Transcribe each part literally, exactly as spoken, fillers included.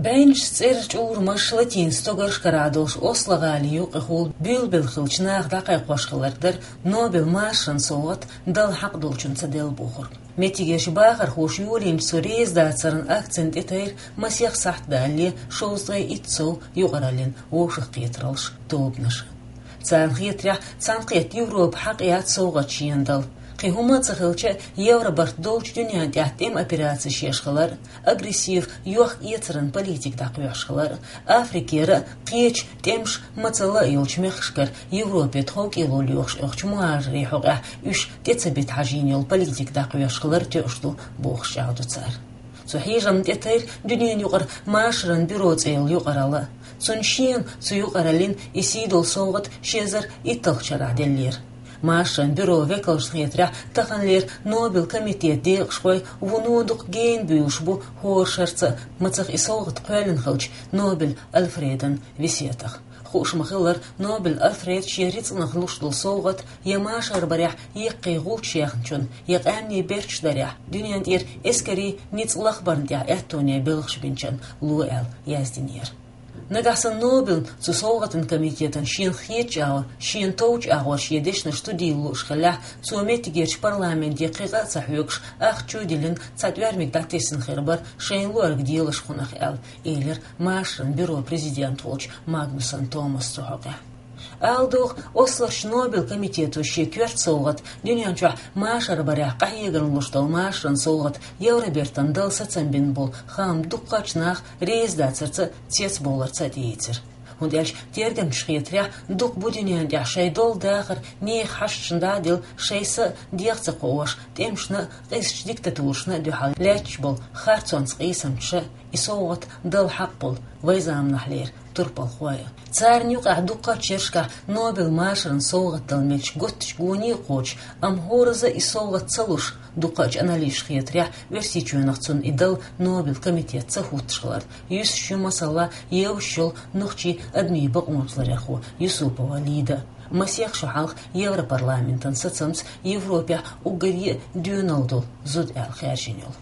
Бэйнаш цӀераш, чӀурмаш, латин стогарш карадолуш Осло гӀали юкъахула буьйлабелла хиллачу наха дӀакхайкхош хилларг дара Нобелан машаран совгӀат дала хьакъ долчунна ца делла бохург. Меттигерчу бахархоша йолийначу цу резадацаран акцина тӀетайра масех сахьт далале шовзткъе итт сов юкъараллин вовшахкхетараллаш, тобанаш. Царна хетарехь, цхьаьнакхетта Европа хьакъ яц совгӀат шена дала. Кхин хӀума а ца хилча, евробарт долчу дуьнен тӀехь тӀеман операцеш еш хилар, агрессив йохк эцаран политика дӀакхоьхьуш хилар, Африкера а, кхечу тӀемаш мацалла а йолчу мехкашкара Европе тховкӀело лоьхуш оьхучу мухӀажарийн хьокъехь уьш тӀе ца бита хьажийна йолу политика дӀакхоьхьуш хилар тоьуш ду, бохуш чӀагӀдо цара. Цу хьежамна тӀетайра дуьненан юкъара машаран бюро цӀе йолу юкъаралла. Цунна шена цу юкъараллин и сий долу совгӀат ши эзар итталгӀачу шарахь деллера. Машаран бюрон векалшна хетарехь, таханлера Нобелан комитетан декъашхой вуно дукха гена буьйлуш бу хӀора шарца а, мацах и совгӀат кхоьллина хиллачу Нобель Альфредан весетах. Хууш ма-хиллара, Нобель Альфреда шен рицкъанах луш долу совгӀат я машар барехь яккхий гӀулч яьхначунна, я къаьмнийн берташ дарехь, дуьнен тӀера эскарийн ницкъ лахбарна тӀехь аьттоне белхаш бинчунна ло аьлла яздинера. Нагахь санна Нобелан цу совгӀатан комитетана шена хетачу агӀор, шена товчу агӀор шен дешнаш студийла лууш хиллехь, цо меттигерчу парламенте кхин къа а ца хьоьгуш, ахча чу а диллина, цхьа тӀоьрмиг дӀатесна хир бара шайна луъург делаш хунах аьлла, элира машаран бюрон президент волчу Магнусон Томаса цу хьокъехь. Ала догӀу, Ослорчу Нобелан комитето шен коьрта совгӀат, дуьнен чохь машар барехь къахьегарна луш долу машаран совгӀат Евробертана дала сацам бина болу хаам дуккхачу наха резадацарца а, цецбовларца а тӀеийцира. ХӀунда аьлча тергамчаша хетарехь, дукха бу дуьнен тӀехь шайн долу дахар нехан хьашташна дӀа а делла, шайн са а дегӀ ца кхоош, тӀемашна а, къизачу диктатурашна а дуьхьал лаьтташ болу харцонца къийсамчаша и совгӀат дала хьакъ болу вайн заманахьлера турпалхой а. Царна юкъахь дуккхачу шерашкахь Нобелан машаран совгӀат дала мелча готтачу гоне а кхочуш, амма хӀоразза а и совгӀат ца луш, дуккхачу аналитикаша хетарехь, Оьрсийчоьнах цунна и дала Нобелан комитет ца хӀуттуш хиларна юьсуш ю, масала, евзаш йолу нохчийн адамийн бакъонаш ларъярхо Юсупова Лида а, масех шо хьалха Европарламентан сацамца Европехь уггаре а доьналла долу зуда аьлла хаьржина йолу.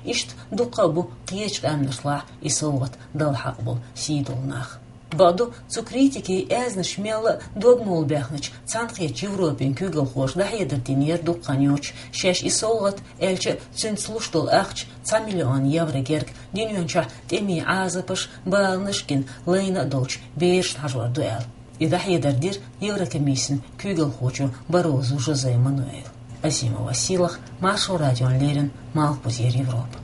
Иштта дуккха а бу кхечу къаьмнашлахь и совгӀат дала хьакъ болу сий долу нах. Бакъду, цу критикийн аьзнаш мелла а догмалла баьхначу Цхьаьнакхеттачу Европин куьйгалхоша дӀахьедар динера дукха хан йоццуш, шаьш и совгӀат, аьлча а, цуьнца луш долу ахча цхьа миллион евро герга дуьнен чохь тӀемийн Ӏазапаш, баланаш а гина лайна а долчу берашна хьажор ду аьлла. И дӀахьедар дира Еврокомиссин куьйгалхочо Баррозу Жозе Мануэла. Азима Василах, Маршо радиона леррина, Малхбузера Европа.